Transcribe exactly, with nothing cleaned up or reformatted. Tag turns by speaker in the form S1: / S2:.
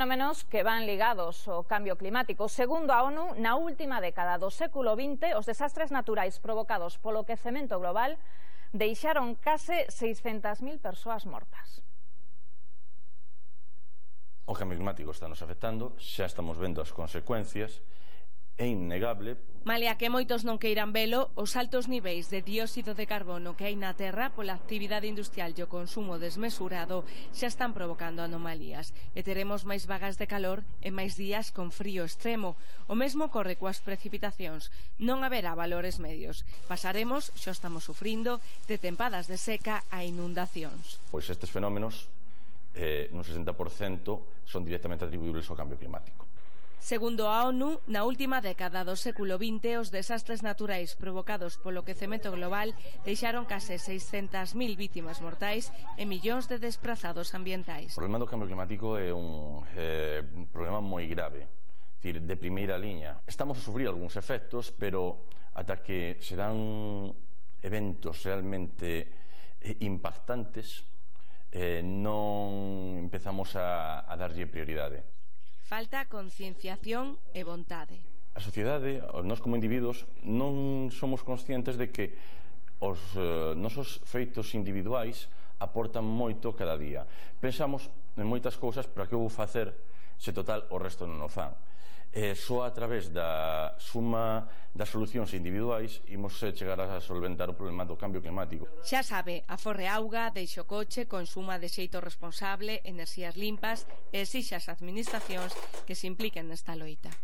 S1: Fenómenos que van ligados ao cambio climático. Segundo a ONU, na última década do século vinte, os desastres naturais provocados polo quecemento global deixaron case seiscentas mil persoas mortas.
S2: O cambio climático está nos afectando, xa estamos vendo as consecuencias, é innegable.
S3: Malia que moitos non queiran velo, os altos niveis de dióxido de carbono que hai na Terra pola actividade industrial e o consumo desmesurado xa están provocando anomalías e teremos máis vagas de calor e máis días con frío extremo. O mesmo ocorre coas precipitacións, non haberá valores medios. Pasaremos, xa estamos sufrindo, de tempadas de seca a inundacións.
S2: Pois estes fenómenos, eh, nun sesenta por cento, son directamente atribuíbles ao cambio climático.
S3: Segundo a ONU, na última década do século vinte, os desastres naturais provocados polo quecemento global deixaron case seiscentas mil vítimas mortais e millóns de desprazados ambientais.
S2: O problema do cambio climático é un eh, problema moi grave, decir, de primeira liña. Estamos a sufrir algúns efectos, pero ata que se dan eventos realmente eh, impactantes, eh, non empezamos a, a darlle prioridade.
S3: Falta concienciación e vontade.
S2: A sociedade, nós como individuos, non somos conscientes de que os eh, nosos feitos individuais aportan moito cada día. Pensamos en moitas cousas, pero que eu vou facer se total o resto non o fan. Eh, só a través da suma das solucións individuais imos chegar a solventar o problema do cambio climático.
S3: Xa sabe, aforre auga, deixe o coche, consuma de xeito responsable, enerxías limpas e exixa as administracións que se impliquen nesta loita.